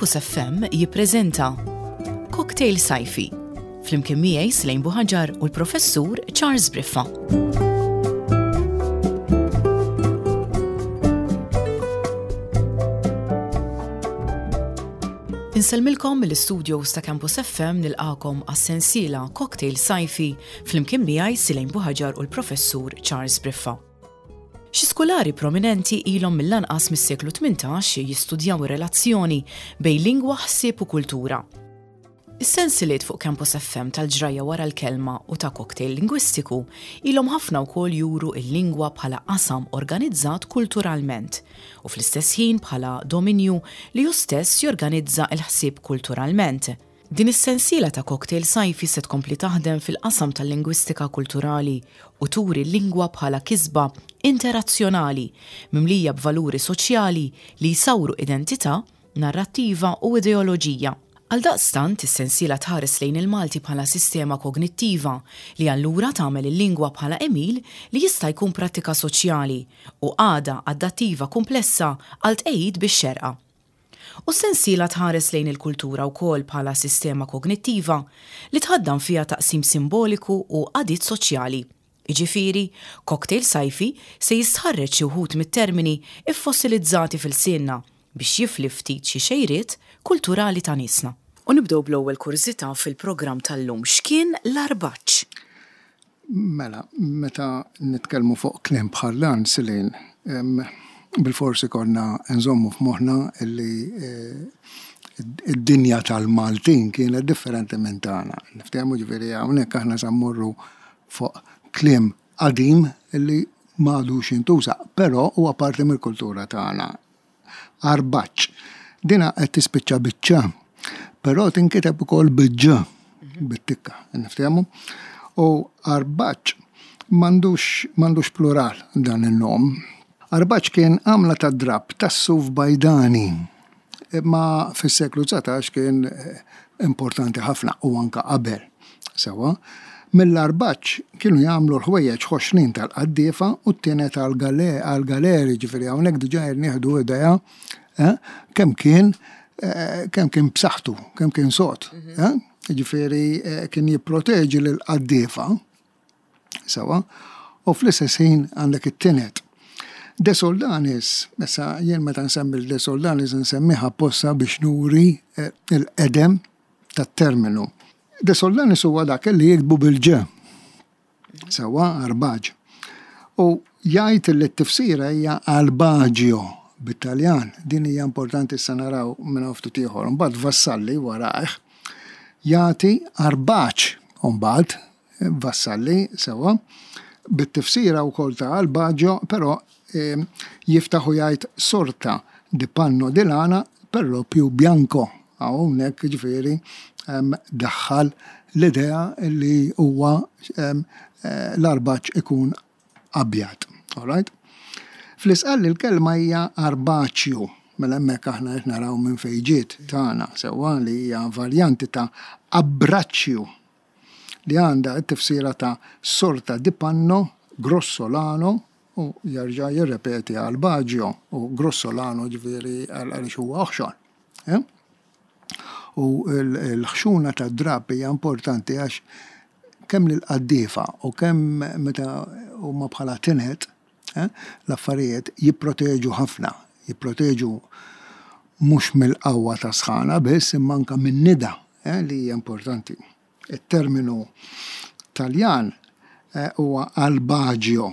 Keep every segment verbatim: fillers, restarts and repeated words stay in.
Campus F M jippreżenta Cocktail Sajfi flimkien miegħi, Slejn Buħaġar, u l-Professur Charles Briffa. Insellmilkom mill-studios ta' Campus F M, nilqagħkom għas-sensiela Cocktail Sajfi flimkien miegħi, Silejn Buħaġar, u l-Professur Charles Briffa. Xi skulari prominenti ilhom mill-anqas mis-seklu tmintax jistudjaw ir-relazzjoni bejn lingwa, ħsieb u kultura. Is-sensiliet fuq Campus F M tal-Ġrajja wara l-kelma u ta' Cocktail Lingwistiku ilhom ħafna wkoll juru il-lingwa bħala qasam organizzat kulturalment u fl-istess ħin bħala dominju li hu stess jorganizza il-ħsieb kulturalment. Din is-sensiela ta' Cocktail Sajfi se tkompli taħdem fil-qasam tal-lingwistika kulturali u turi l-lingwa bħala kisba interazzjonali mimlija b'valuri soċjali li jsawru identità, narrattiva u ideoloġija. Għal daqstant, is-sensiela tħares lejn il-Malti bħala sistema kognittiva li allura tagħmel il-lingwa bħala għemil li jista' jkun prattika soċjali u għada adattiva komplessa għal tqejjid bix-xerqa. U s-sensiela tħares lejn il-kultura wkoll bħala sistema kognittiva li tħaddan fiha taqsim simboliku u għadiet soċjali. Iġifieri, Cocktail Sajfi se jistħarreġ xi wħud mit-termini iffossilizzati f'ilsienna biex jifli ftit xi xejriet kulturali ta' niesna. U nibdew bl-ewwel kurżità fil-programm tal-lum: x'kien l-arbaċ? Mela, meta nitkellmu fuq kliem bħal dan, Silin, bil-forsi konna nżommu f'moħħna illi eh, id-dinja tal-Maltin kienet differenti minn tagħna. Niftehmu, ġifieri hawnhekk aħna sa mmorru fuq kliem qadim illi m'għadux jintuża, però huwa parti mill-kultura tagħna. Arbaċ. Dina qed tispiċċa biċ-ċ, però tinkiteb ukoll bil-ġ, bit-tikka, niftehmu. U arbaċ m'għandux m'għandux plural dan il-nom. Arbaċ kien għamla ta' drab tas-suf bajdani. Imma fis-seklu dsatax kien eh, importanti ħafna u anka qabel. Sewa, mill-arbaċ kienu jagħmlu l-ħwejjeġ ħoxnin tal-qaddiefa u t-tined għal-galeri, ġifieri hawnhekk diġà nieħdu idea eh, kemm kien eh, kemm kien b'saħħtu, kemm kien sod. eh? Ġifieri eh, kien jipproteġi lill-qaddiefa, sewa, u fl-istess ħin għandek it-tined. De Soldanis, issa jien meta nsemmi De Soldanis nsemmiha apposta biex nuri eh, il-qedem tat-terminu. De Soldanis huwa dak li jiktbu bil-ġ. Sewa, arbaġ. U jgħid li t-tifsira hija albagio bit-Taljan. Din hija importanti, issa naraw minn ftit ieħor. Mbagħad Vassalli warajh jagħti arbaċ mbagħad Vassalli, sewa, bit-tifsira wkoll ta' albagio, però eh, jiftaħu jgħid "sorta di panno di lana per lo più bianco". Hawnhekk ġifieri em, daħħal l-idea li huwa em, eh, l-arbaċ ikun abjad. All right? Fl-Isqalli l-kelma hija arbaċju, mela hemmhekk aħna qed naraw minn fejn ġiet tagħna, sewwa, li hija varjanti ta' abbraccio li għandha t-tifsira ta' "sorta di panno grossolano" u jerġa' jirrepeti albagio u grossolano, ġifieri għaliex huwa oħxon. Eh? U l-ħxuna ta' drab hija importanti għax kemm l-qaddiefa u kemm meta huma bħala tined, eh, l-affarijiet jipproteġu ħafna, jipproteġu mhux mill-qawwa ta' sħana biss imma anka minn nida, eh, li hija importanti. Il-terminu Taljan eh, huwa albagio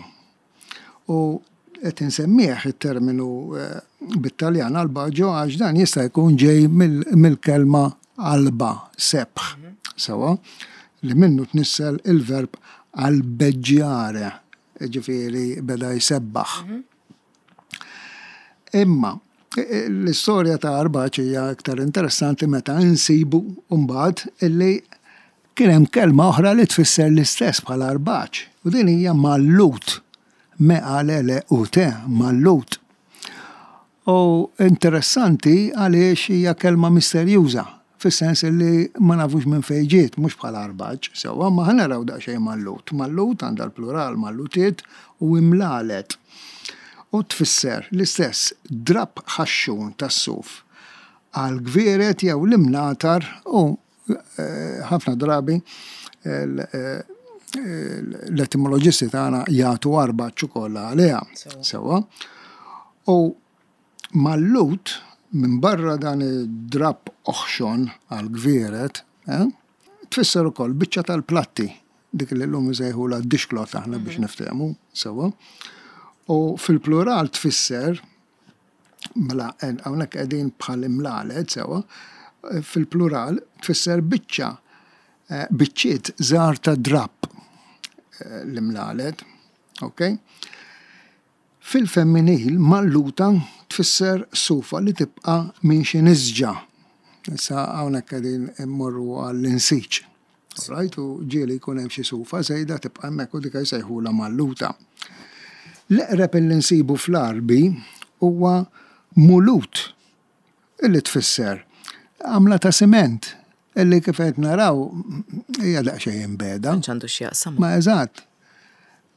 u qed insemmih it-terminu eh, bit-Taljan albagio għax dan jista' jkun ġej mill-kelma alba, sebħ, sewa, li minnu tnissel il-verb albeggiare, ġifieri beda jsebbaħ. Imma l-istorja ta' arbaċ hija iktar interessanti meta nsibu mbagħad illi kien hemm kelma oħra li tfisser l-istess bħala arbaċ. U din hija mallut. Me l u te, mallut. U interessanti għaliex hija kelma misterjuża, fis-sens li ma nafux minn fejn ġiet, mhux bħala arbaġ, sewwa, ma ħa naraw daqsxejn mallut. Mallut għandha l-plural mallutiet u imlalet. U tfisser l-istess, drab ħaxxun tas-suf. għal gvieret jew l-imnatar u eh, ħafna drabi eh, l-etimoloġisti tagħna jagħtu arbaċ ukoll għaliha. Sewwa. U mallut, minn barra dan id-drab oħxon għal gvieret, eh, tfisser ukoll biċċa tal-platti, dik li llum isejħula dishcloth aħna biex niftehmu, sewwa. U fil-plural tfisser, mela hawnhekk qegħdin bħal imlalet, sewwa, fil-plural tfisser biċċa, eh, biċċiet żgħar ta' drab eh, l-imlalet, ok? Fil-femminil, malluta tfisser sufa li tibqa' minn xi nisġa. Issa hawnhekk qegħdin immorru għall-insiġ. Right? U ġieli jkun hemm xi sufa żejda tibqa' hemmhekk u dik jsejħulha malluta. L-eqreb li nsibu fl-Għarbi huwa mulut, illi tfisser għamla ta' siment, illi kif qed naraw hija daqsxejn imbegħda. Għandu x'jaqsam. Ma eżatt.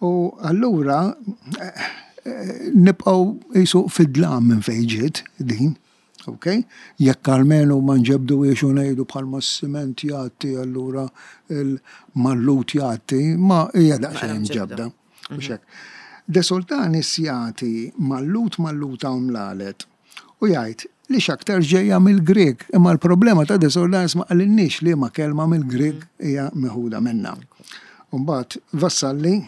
U allura eh, eh, nibqgħu qisu fid-dlam minn fejn ġiet din. Ok? Jekk almenu ma nġebdu u ngħidu bħalma s-siment jgħatti, allura il-mallut jgħatti, ma hija daqsxejn ġebda. Mhux hekk. De Soltanis jagħti mallut, malluta u mlalet. U jgħid li x'aktar ġejja mill-Grek, imma l-problema ta' De Soltanis, ma qalilniex li ma kelma mill-Grek hija meħuda minna. Mbagħad Vassalli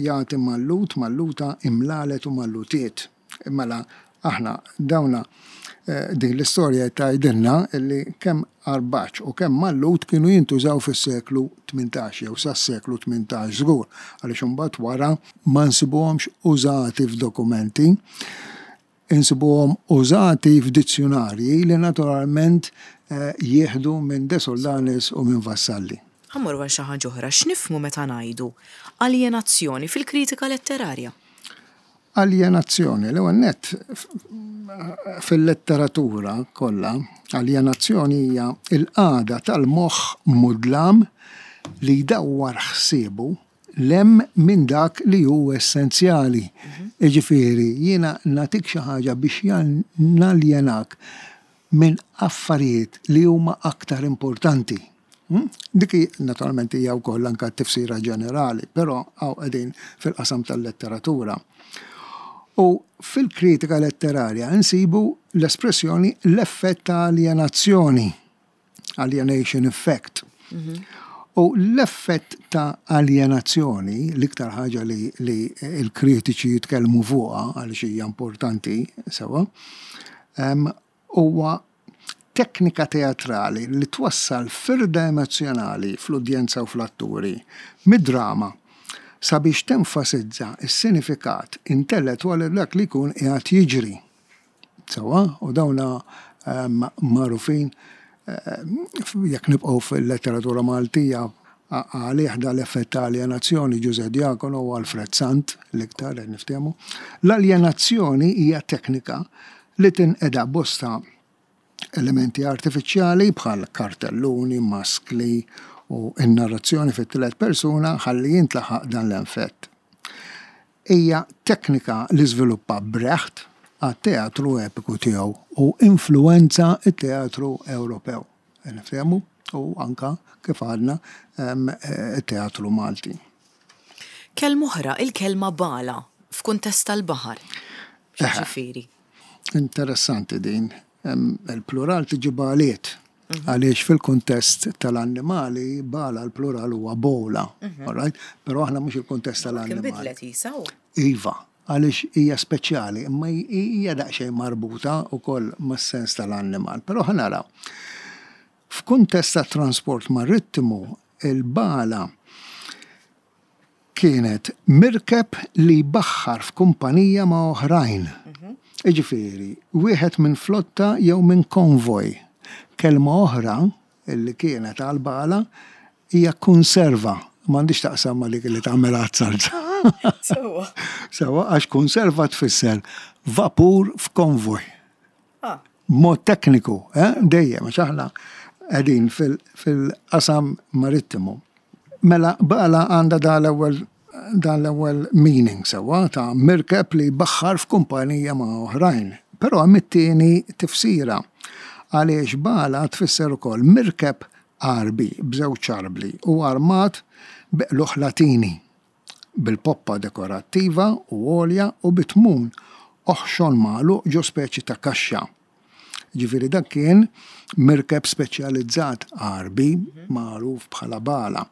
jagħti mallut, malluta, imlalet u mallutiet. Mela aħna dawna eh, din l-istorja tgħidilna illi kemm arbaċ u kemm mallut kienu jintużaw fis-seklu tmintax jew sas-seklu tmintax żgur, għaliex imbagħad wara ma nsibuhomx użati f'dokumenti, insibuhom użati f'dizzjonarji li naturalment eh, jieħdu minn De Soldanis u minn Vassalli. Ħa mmorru għal xi ħaġa oħra, x'nifhmu meta ngħidu aljenazzjoni fil-kritika letterarja? Aljenazzjoni, l-ewwel nett, fil-letteratura kollha, aljenazzjoni hija il-qagħda tal-moħħ mudlam li jdawwar ħsiebu 'l hemm minn dak li hu essenzjali. Jiġifieri, jiena nagħtik xi ħaġa biex naljenak minn affarijiet li huma aktar importanti. Hmm? Dik naturalment hija wkoll anke tifsira ġenerali, però hawn qegħdin fil-qasam tal-letteratura. U fil-kritika letterarja nsibu l-espressjoni l-effett ta' alienazzjoni, alienation effect. U l-effett ta' alienazzjoni, l-iktar ħaġa li, li l-kritiċi jitkellmu fuqha għaliex hija importanti sewwa, huwa teknika teatrali li twassal firda emozjonali fl-udjenza u fl-atturi mid-drama sabiex tenfasizza s-sinifikat intellettwali dak li jkun qiegħed jiġri. Sewwa, u dawna magħrufin, jekk nibqgħu fil-letteratura Maltija, għalih dal-effett ta' alienazzjoni Ġużè Diacono u Alfred Sant l-iktar qed niftehmu. L-alienazzjoni hija teknika li tinqeda bosta elementi artifiċjali bħal kartelluni, maskli u n-narrazzjoni fit-tielet persuna ħalli jintlaħaq dan l-effett. Hija teknika li żviluppa Brecht għat-teatru epiku tiegħu u influenza it-teatru Ewropew. Niftehmu, u anka kif għadna it-teatru Malti. Kelma oħra, il-kelma bala f'kuntest tal-baħar. Ġifieri? Interessanti din. Il-plural tiġi baliet. Għaliex fil-kuntest tal-annimali, bala l-plural huwa bola. Alright? Però aħna mhux il-kuntest tal-annimali. Kien bidlet isa? Iva, għaliex hija speċjali, imma hija daqsxejn marbuta wkoll mas-sens tal-annimal. Però ħa naraw. F'kuntest ta' trasport marittimu, il-bala kienet mirkeb li baħħar f'kumpanija ma' oħrajn. Jiġifieri, wieħed minn flotta jew minn konvoj. Kelma oħra illi kienet għal-bala hija konserva. M'għandix taqsam ma dik li tagħmel għat-salza. Sewwa. Sewwa, għax konserva tfisser vapur f'konvoj. Ah. Mod tekniku, eh? Dejjem, għax aħna qegħdin fil-qasam marittimu. Mela bala għandha dan l-ewwel dan l-ewwel meaning sewwa ta' mirkeb li baħħar f'kumpanija ma' oħrajn. Però hemm it-tieni tifsira. Għaliex bala tfisser ukoll mirkeb Għarbi b'żewġ arbli u armat bi qlugħ Latini, bil-poppa dekorattiva u għolja u bit-tmun oħxon magħluq ġo speċi ta' kaxxa. Ġifieri dak kien mirkeb speċjalizzat Għarbi magħruf bħala bala.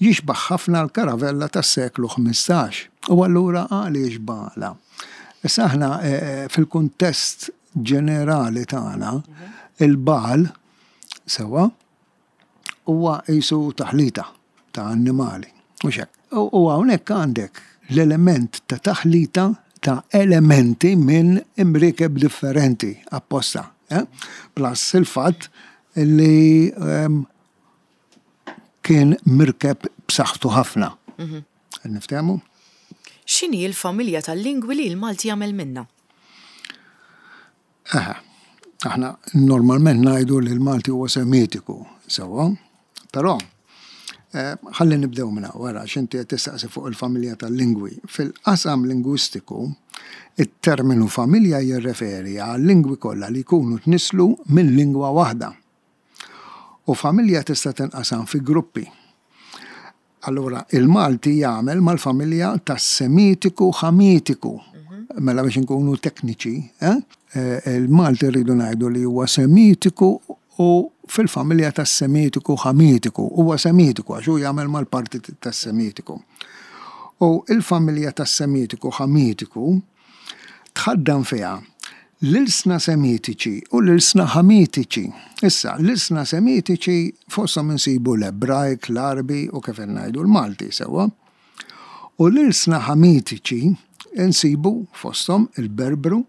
Jixbaħ ħafna l-karavella tas-seklu ħmistax. U allura għaliex bala? Issa aħna fil-kuntest ġenerali tagħna il-bal sewwa huwa qisu taħlita ta' annimali. Mhux hekk. U hawnhekk għandek l-element ta' taħlita ta' elementi minn imriekeb differenti apposta. Eh? Plus il-fatt li um, kien mirkeb b'saħħtu ħafna. Niftehmu? X'inhi l-familja tal-lingwi li l-Malti jagħmel minna? Eħe, aħna normalment ngħidu li l-Malti huwa semitiku, sewwa, però ħalli nibdew minn wara x'inti qed tistaqsi fuq il-familja tal-lingwi. Fil-qasam lingwistiku, it-terminu familja jirreferi għal lingwi kollha li jkunu tnislu minn lingwa waħda. U familja tista' tinqasam fi gruppi. Allura, il-Malti jagħmel mal-familja tas-Semitiku Ħamitiku. Mela biex inkunu tekniċi, eh? Il-Malti rridu ngħidu li huwa Semitiku u fil-familja tas-Semitiku Ħamitiku. Huwa Semitiku għax hu jagħmel mal-parti tas-Semitiku. U il-familja tas-Semitiku Ħamitiku tħaddan fiha l-ilsna Semitiċi u l-ilsna Ħamitiċi. Issa, l-ilsna Semitiċi fosthom insibu l-Ebrajk, l-Għarbi u kif ngħidu l-Malti sewwa. U l-ilsna Ħamitiċi insibu fosthom il-Berbru,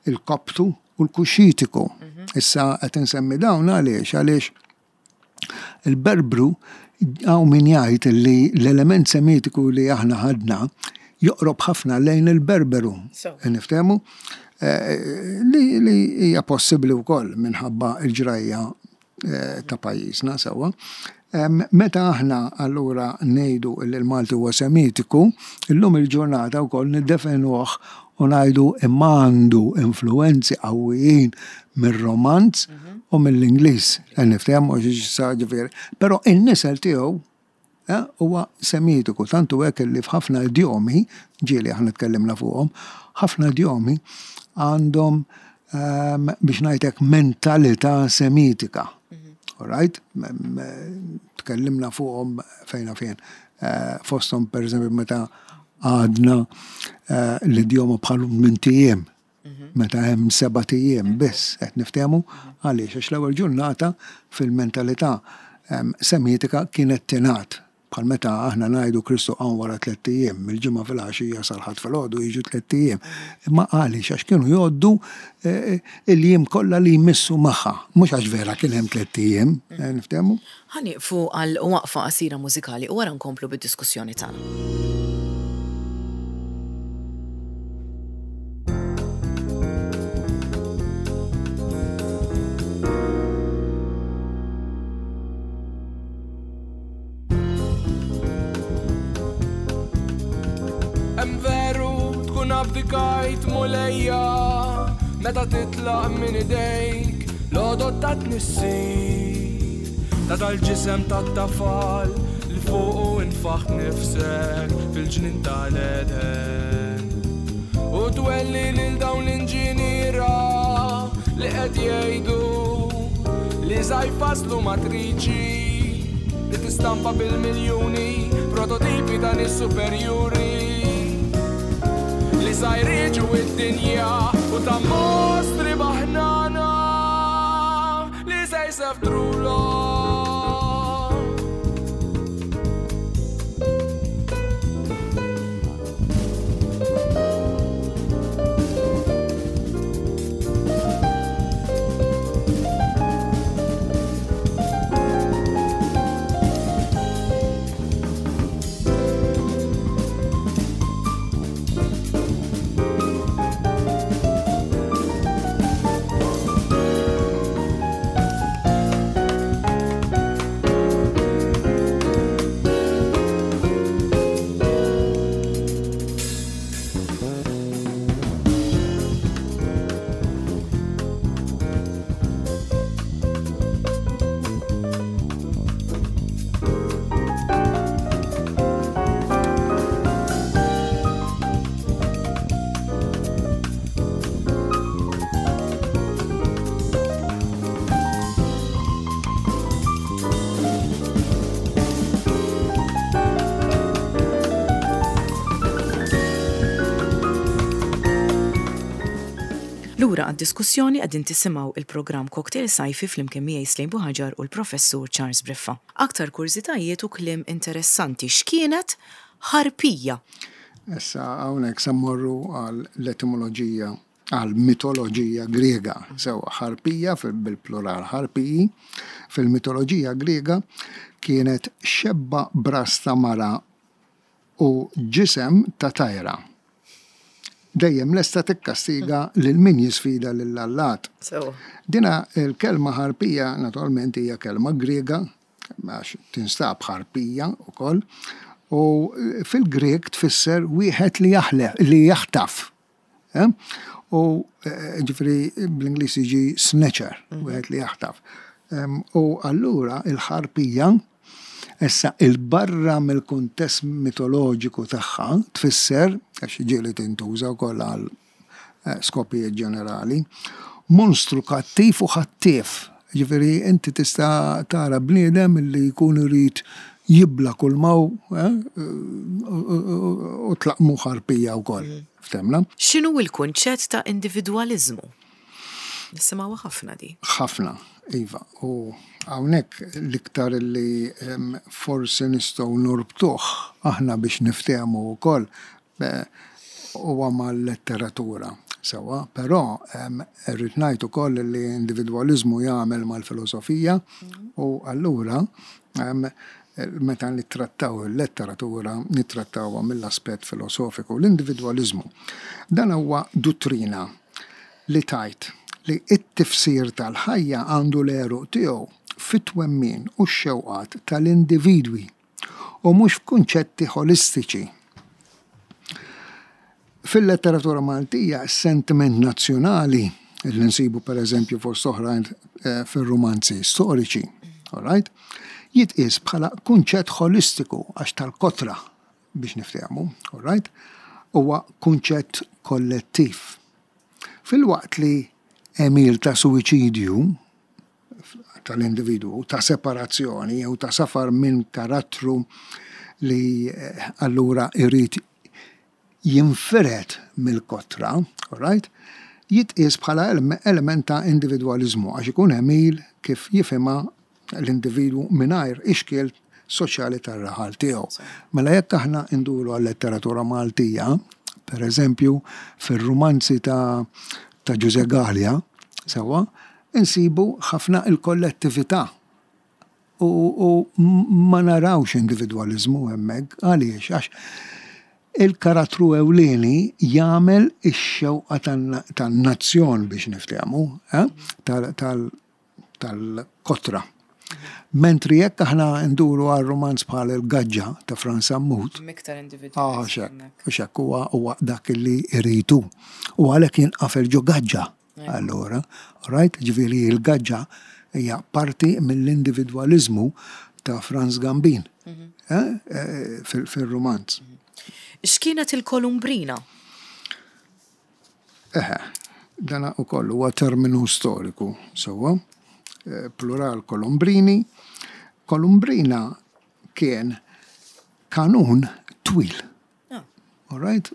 il-Koptu u l-Kuxitiku. Issa qed insemmi dawn għaliex għaliex il-Berbru hawn min jgħid li l-element Semitiku li aħna ħadna joqrob ħafna lejn il-Berberu. Niftehmu? Li li hija possibbli wkoll minħabba l-ġrajja ta' pajjiżna sewwa. Meta aħna allura ngħidu li l-Malti huwa Semitiku, illum il-ġurnata wkoll niddefenuh u ngħidu imma għandu influenzi qawwijin mir-Romanz u mill-Ingliż. Niftehmu ġifieri. Però in-nisel tiegħu huwa Semitiku, tantu hekk li f'ħafna idjomi, ġieli aħna tkellimna fuqhom, ħafna idjomi għandhom biex ngħidlek mentalità Semitika. All right? Tkellimna fuqhom fejna fejn. Fosthom pereżempju meta għadna l-idjoma bħal minn tijiem, meta hemm seba' tijiem biss qed niftehmu għaliex għax l-ewwel ġurnata fil-mentalità Semitika kienet tingħad bħal meta aħna ngħidu Kristu qam wara tliet ijiem, mill-ġimgħa filgħaxija sal-Ħadd filgħodu jiġu tliet ijiem. Imma għaliex għax kienu jgħoddu il-jiem kollha li jmissu magħha, mhux għax vera kien hemm tliet ijiem, niftehmu? Ħa nieqfu għal waqfa qasira mużikali u wara nkomplu bid-diskussjoni tagħna. Abdikajt mulejja meta titlaq minn idejk l-għodod ta' tnissil ta' tal-ġisem tat-tafal li fuqu infaħt nifsek fil-ġnien tal-Eden u twelli lil dawn l-inġiniera li qed jgħidu li sa jfasslu matriċi li tistampa bil-miljuni prototipi ta' nies superjuri li sa jriġu id-dinja u ta' mostri baħnana li se jseftrulhom. Lura għad-diskussjoni, qegħdin tisimgħu il-programm Cocktail Sajfi flimkien miegħi Slejn Buħaġar u l-Professur Charles Briffa. Aktar kurżitajiet u kliem interessanti. X'kienet ħarpija? Issa hawnhekk se mmorru għal l-etimoloġija, għal mitoloġija Griega. Sewa, ħarpija, bil-plural ħarpiji, fil-mitoloġija Griega kienet xebba b'ras ta' mara u ġisem ta' tajra. Dejjem lesta tikkastiga lil min jisfida lill-allat. Dina il-kelma ħarpija naturalment hija kelma Griega, għax tinstab ħarpija ukoll, u fil-Grek tfisser wieħed li jaħle, li jaħtaf. Eh? U eh, ġifieri bl-Ingliż jiġi snatcher, wieħed li jaħtaf. Em, U allura il-ħarpija issa il-barra mill-kuntest mitoloġiku tagħha tfisser, għax ġieli tintuża wkoll għal eh, skopijiet ġenerali, monstru kattiv u ħattief. Ġifieri inti tista' tara bniedem li jkun irid jibla kull maw eh, u u tlaqmu ħarpija wkoll. Ftemna? X'inhu il-kunċett ta' individwaliżmu? Nisimgħuha ħafna di. Ħafna, iva. U hawnhekk l-iktar li em, forsi nistgħu norbtuh aħna biex niftehmu wkoll eh, huwa mal-letteratura. Sewa, però em, irrid ngħid ukoll li individwaliżmu jagħmel mal-filosofija u allura em, meta nittrattaw il-letteratura nittrattawha mill-aspett filosofiku. L-individwaliżmu dan huwa dottrina li tgħid li it-tifsir tal-ħajja għandu l-għeruq tiegħu fit-twemmin u x-xewqat tal-individwi u mhux f'kunċetti holistiċi. Fil-letteratura Maltija, sentiment nazzjonali li nsibu per eżempju fost oħrajn eh, fil-romanzi storiċi, all right? Jitqis bħala kunċett holistiku għax tal-kotra biex niftehmu, all right? Huwa kunċett kollettiv. Filwaqt li għemil ta' suwiċidju tal-individwu, ta' separazzjoni jew ta' safar minn karattru li eh, allura irid jinfired mill-kotra, all right? Jitqies bħala element ta' individwaliżmu għax ikun għemil kif jifhimha l-individwu mingħajr ixkiel soċjali tar-raħal tiegħu. Mela jekk aħna nduru għal-letteratura Maltija, per eżempju, fir-rumanzi ta' ta' Ġużè Galea, sewa, insibu ħafna il-kollettività. U, u ma narawx individwaliżmu hemmhekk, għaliex? Għax il-karattru ewlieni jagħmel ix-xewqa tan-nazzjon biex niftehmu, eh? tal-kotra. Mentri jekk aħna nduru għal romanz bħal il-Gaġġa ta' Frans Sammut. Miktar Ah, xek, xek huwa huwa dak li iritu. U għalhekk jinqafel ġo gaġġa. Allura, right, ġifieri il-gaġġa hija parti mill-individwaliżmu ta' Frans Gambin eh, eh, fil-romanz. X'kienet il-Kolumbrina? Eħe, dana ukoll huwa terminu storiku, sewwa. Eh, plural kolumbrini. Kolumbrina kien kanun twil. Ah. All right?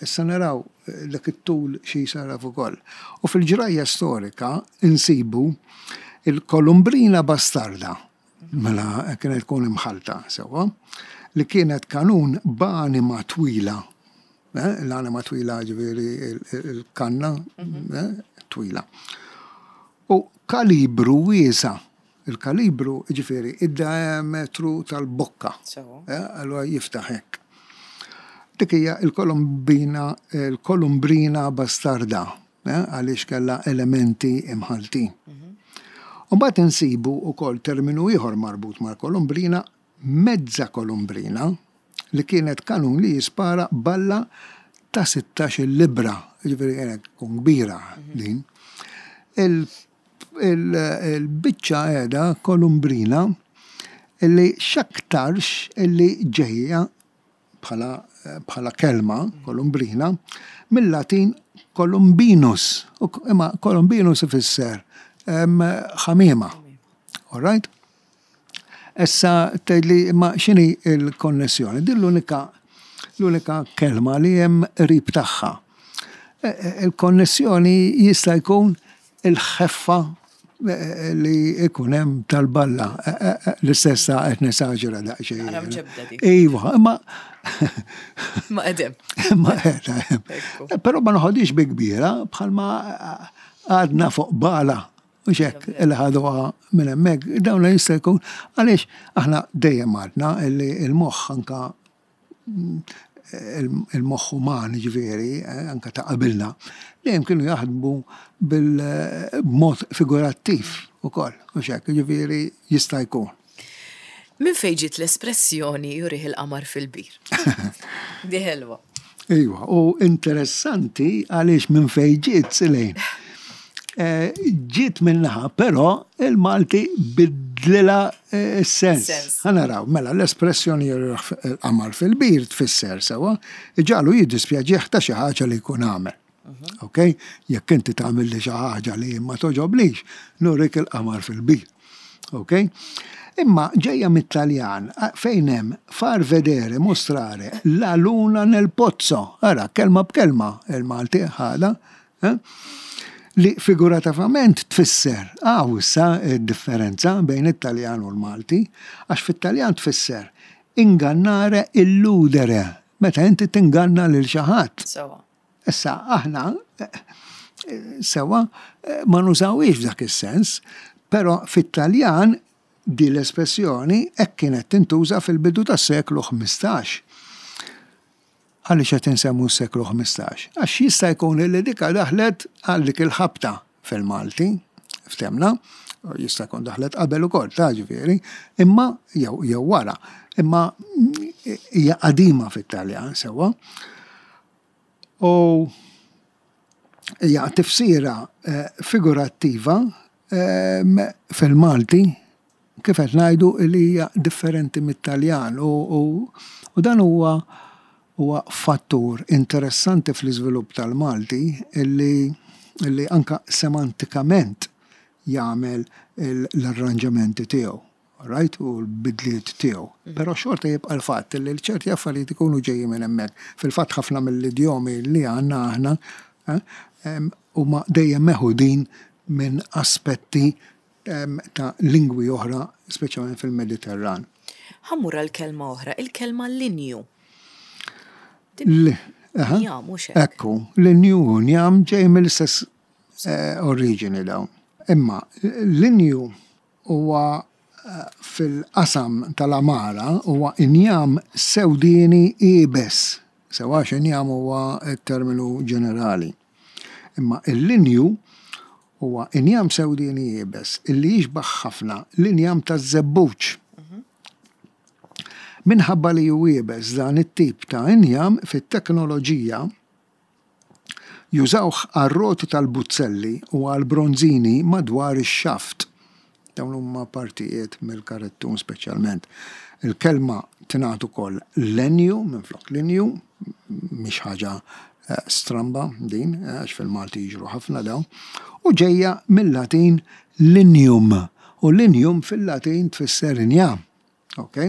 Issa naraw dak it-tul xi jsarraf ukoll. U fil-ġrajja storika insibu il-kolumbrina bastarda, mela kienet tkun imħalta sewwa, li kienet kanun b'anima twila. Eh, L-anima twila, ġifieri il-kanna eh, twila. U kalibru wiesa'. Il-kalibru, ġifieri, id-diametru tal-bokka. Sewa. Eh, Allura jiftaħ hekk. Dik hija il-kolumbina, il-kolumbrina bastarda, eh, għaliex kellha elementi imħaltin. U mbagħad insibu wkoll terminu ieħor marbut mal-kolumbrina, mezza kolumbrina, li kienet kanun li jispara balla ta' sittax-il libra, ġifieri kienet tkun kbira din. Il- il- Il-biċċa qiegħda kolumbrina illi x'aktarx illi ġejja bħala bħala kelma kolumbrina mill-Latin columbinus. U imma columbinus ifisser em, ħamiema. All right? Issa tgħidli, imma x'inhi il-konnessjoni? Din l-unika l-unika kelma li hemm qrib tagħha. Il-konnessjoni jista' jkun il-ħeffa li ikun hemm tal-balla. L-istess ta' qed nesaġera daqsxejn. Ara mġebda dik. Iva, imma Ma qedem. Ma qiegħda hemm. Però ma noħodix bi kbira bħalma għadna fuq bala. U xek, il ħaduha minn hemmhekk, dawn jista' jkun għaliex aħna dejjem għadna li il-moħħ anka il-moħħ uman ġifieri, anka ta' qabilna, dejjem kienu jaħdmu bil-mod figurattiv ukoll, u xek, ġifieri jista' jkun. Min fejn ġiet l-espressjoni "jurih il-qamar fil-bir"? Di ħelwa. Iva, u interessanti għaliex minn fejn ġiet, Silejn. Ġiet minnaħa, però il-Malti bidlilha s-sens. Sens. Ħa naraw, mela l-espressjoni "jurih il-qamar fil-bir" tfisser sewa, iġagħlu jiddispjaċih ta' xi ħaġa li jkun għamel. Ok? Jekk inti tagħmel li xi ħaġa li ma toġoblix, nurik il-qamar fil-bir. Ok? Imma ġejja mit-Taljan fejn hemm "far vedere, mostrare la luna nel pozzo". Ara, kelma b'kelma il-Malti ħada, eh? Li figurativament tfisser, għaw issa differenza bejn it-Taljan u l-Malti, għax fit-Taljan tfisser "ingannare, illudere", meta inti tinganna lil xi ħadd. Sewa. Issa aħna sewa ma nużawix f'dak is-sens, però fit-Taljan di l-espressjoni hekk kienet tintuża fil-bidu tas-seklu ħmistax. Għaliex qed insemmu s-seklu ħmistax? Għax jista' jkun li dika daħlet għal dik il-ħabta fil-Malti, ftemna, jista' jkun daħlet qabel ukoll, ta' ġifieri, imma jew jew wara, imma hija qadima fit-Taljan sewwa. U hija tifsira figurattiva fil-Malti kif qed ngħidu li hija differenti mit-Taljan u, u, u dan huwa huwa fattur interessanti fl-iżvilupp tal-Malti illi, illi anka semantikament jagħmel l-arranġamenti tiegħu, right? U l-bidliet tiegħu. Però xorta jibqa' l-fatt li ċerti affarijiet ikunu ġejjin minn hemmhekk. Fil-fatt ħafna mill-idjomi li għandna aħna huma dejjem meħudin minn aspetti ta' lingwi oħra, speċjalment fil-Mediterran. Ħa mmur għal kelma oħra, il-kelma linju. Njam, mhux hekk. Ekku, linju u njam ġej mill-istess eh, oriġini dawn. Imma linju huwa eh, fil-qasam tal-għamara huwa injam sewdieni iebes. Sewa injam huwa terminu ġenerali. Imma il-linju huwa injam sewdieni iebes illi jixbaħ ħafna l-injam taż-żebbuġ. Minħabba li hu iebes, dan it-tip ta' injam fit-teknoloġija jużawh għar-roti tal-buzzelli u għal-bronzini madwar ix-xaft. Dawn huma partijiet mill-karettun speċjalment. Il-kelma tingħad ukoll lenju minflok linju, mhix ħaġa eh, stramba din, eh, għax fil-Malti jiġru ħafna dawn, u ġejja mill-Latin "lignum", u "lignum" fil-Latin tfisser injam. Ok?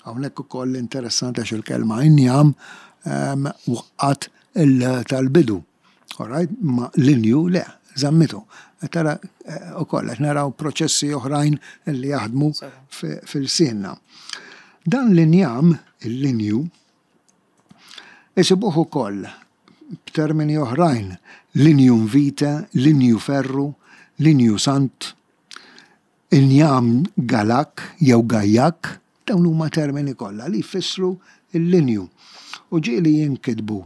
Hawnhekk ukoll interessanti għax il-kelma injam um, waqqat il tal-bidu. Alright? Ma linju le, żammitu. Tara ukoll qed naraw proċessi oħrajn li jaħdmu fil-sinna. Dan l-injam, il-linju, isibuh ukoll b'termini oħrajn: lignum vitae, linju ferru, linju sant, injam galak jew gajjak, dawn huma termini kollha li jfissru il-linju. U ġieli jinkitbu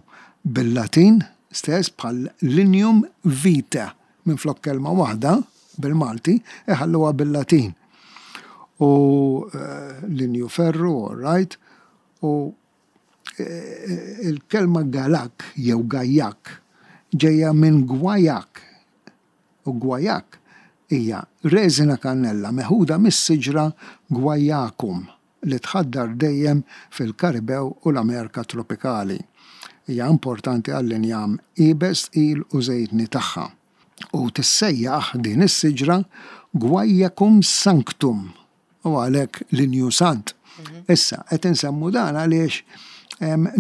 bil-Latin stess bħal "lignum vitae", minn flok kelma waħda bil-Malti iħalluha bil-Latin. U uh, linju ferru, all right, u eh, il-kelma galak jew gajjak ġejja minn gwajak. U gwajak hija reżina kannella meħuda mis-siġra Guaiacum li tħaddar dejjem fil-Karibew u l-Amerika tropikali. Hija importanti għall-injam iebes, tqil u żejtni tagħha. U tissejjaħ din is-siġra Guaiacum sanctum u għalhekk linju sant. Issa, qed insemmu dan għaliex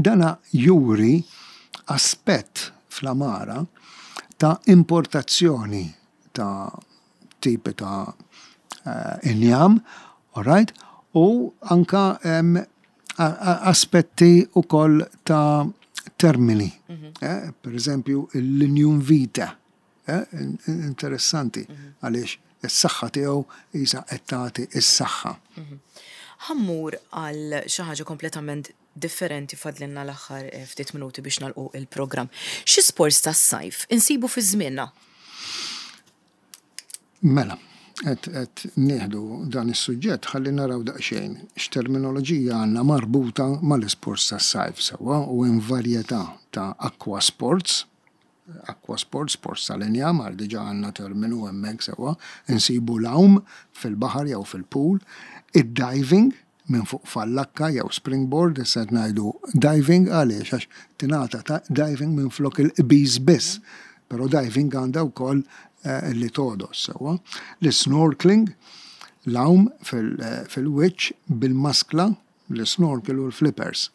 dana juri aspett fl-iżvilupp tal-Malti fl-għamara ta' importazzjoni ta' tipi ta' eh, injam, all right, u anka em, a- a- aspetti u koll ta' termini. Eh, per eżempju, il-lignum vitae. Eh, in- in- interessanti, għaliex is-saħħa tiegħu isa qed tagħti is-saħħa. Ħa mmur għal xi ħaġa kompletament differenti, fadlilna l-aħħar eh, ftit minuti biex nagħlqu il-programm. Xi sports tas-sajf insibu fi żmienna? Mela, qed qed nieħdu dan is-suġġett ħalli naraw daqsxejn x'terminoloġija għandna marbuta mal-isports tas-sajf, sewwa, u hemm varjetà ta' aqua sports, aqua sports, sports tal-injam, għal diġà għandna terminu hemmhekk, sewwa, insibu l-għawm fil-baħar jew fil-pool, id-diving minn fuq fallakka jew springboard. Issa qed ngħidu diving għaliex għax tingħata ta' diving minn flok il-qbiż biss. Però diving għandha wkoll eh, li togħdos, sewwa. L-snorkeling, l-għawm fil- fil-wiċċ bil-maskla, l-snorkel u l-flippers.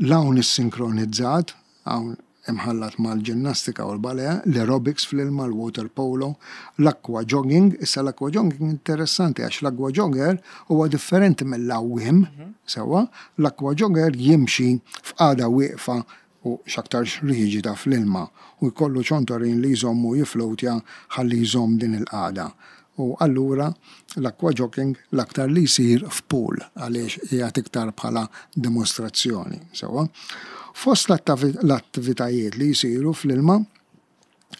L-għawm is-sinkronizzat, għawm imħallat mal-ġinnastika u l-ballet, l-aerobics fl-ilma, l-water polo, l-aqua jogging. Issa l-aqua jogging interessanti għax l-aqua jogger huwa differenti mill-għawwiem, sewwa, l-aqua jogger jimxi f'qagħda wieqfa u x'aktarx riġida fl-ilma u jkollu ċontorin li jżommu jiflowtja ħalli jżomm din il-qagħda. U allura l-aqua jogging l-aktar li jsir f'pool għaliex jgħat iktar bħala dimostrazzjoni. Sewwa. Fost l-attivitajiet li jsiru fl-ilma,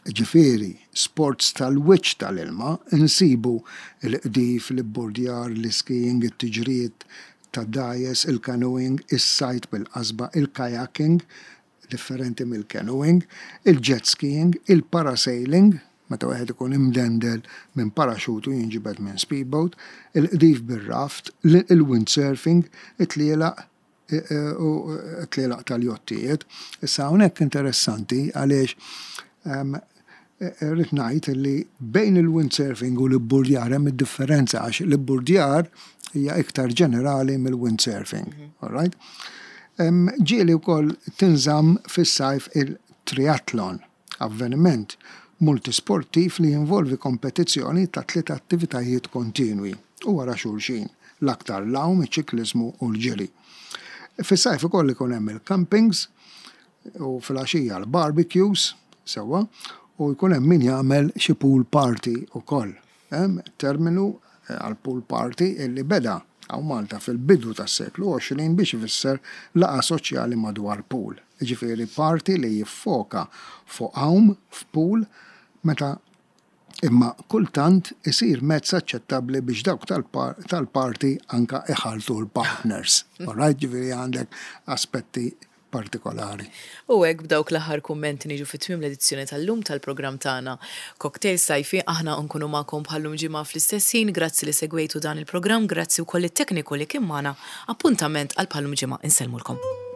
ġifieri, sports tal-wiċċ tal-ilma, insibu il-qdif, l-ibburdjar, l-skiing, it-tiġrijiet ta' dgħajjes, il-canoeing, is-sajd bil-qasba, il-kayaking, differenti mill-canoeing, il-jet skiing, il-parasailing, meta wieħed ikun imdendel minn paraxutu jinġibed minn speedboat, il-qdif bir-raft, il-windsurfing, it-tlielaq u tlielaq tal-jottijiet. Issa hawnhekk interessanti għaliex rrid ngħid li bejn il-windsurfing u l-ibburdjar hemm id-differenza għax l-ibburdjar hija iktar ġenerali mill-windsurfing. All right? Ġieli wkoll tinżamm fis-sajf il-triathlon, avveniment multisportiv li jinvolvi kompetizzjoni ta' tliet attivitajiet kontinwi u wara xulxin, l-aktar l-għawm, iċ-ċiklizmu u l-ġiri. Fis-sajf ukoll ikun hemm il-campings u fil-għaxija l-barbecues, sewwa, u jkun hemm min jagħmel xi pool party ukoll. Hemm terminu għal pool party illi beda hawn Malta fil-bidu tas-seklu għoxrin biex ifisser laqgħa soċjali madwar pool. Ġifieri party li jiffoka fuq għawm f'pool, meta imma kultant isir mezz aċċettabbli biex dawk tal-party anka iħaltu l-partners. All right, ġifieri għandek aspetti partikolari. U hekk b'dawk l-aħħar kummenti niġu fit-tmiem l-edizzjoni tal-lum tal-programm tagħna Cocktail Sajfi. Aħna nkunu magħkom bħallum ġimgħa fl-istess ħin. Grazzi li segwejtu dan il-programm, grazzi wkoll it-tekniku li kien magħna. Appuntament għal bħallum ġimgħa, insellmulkom.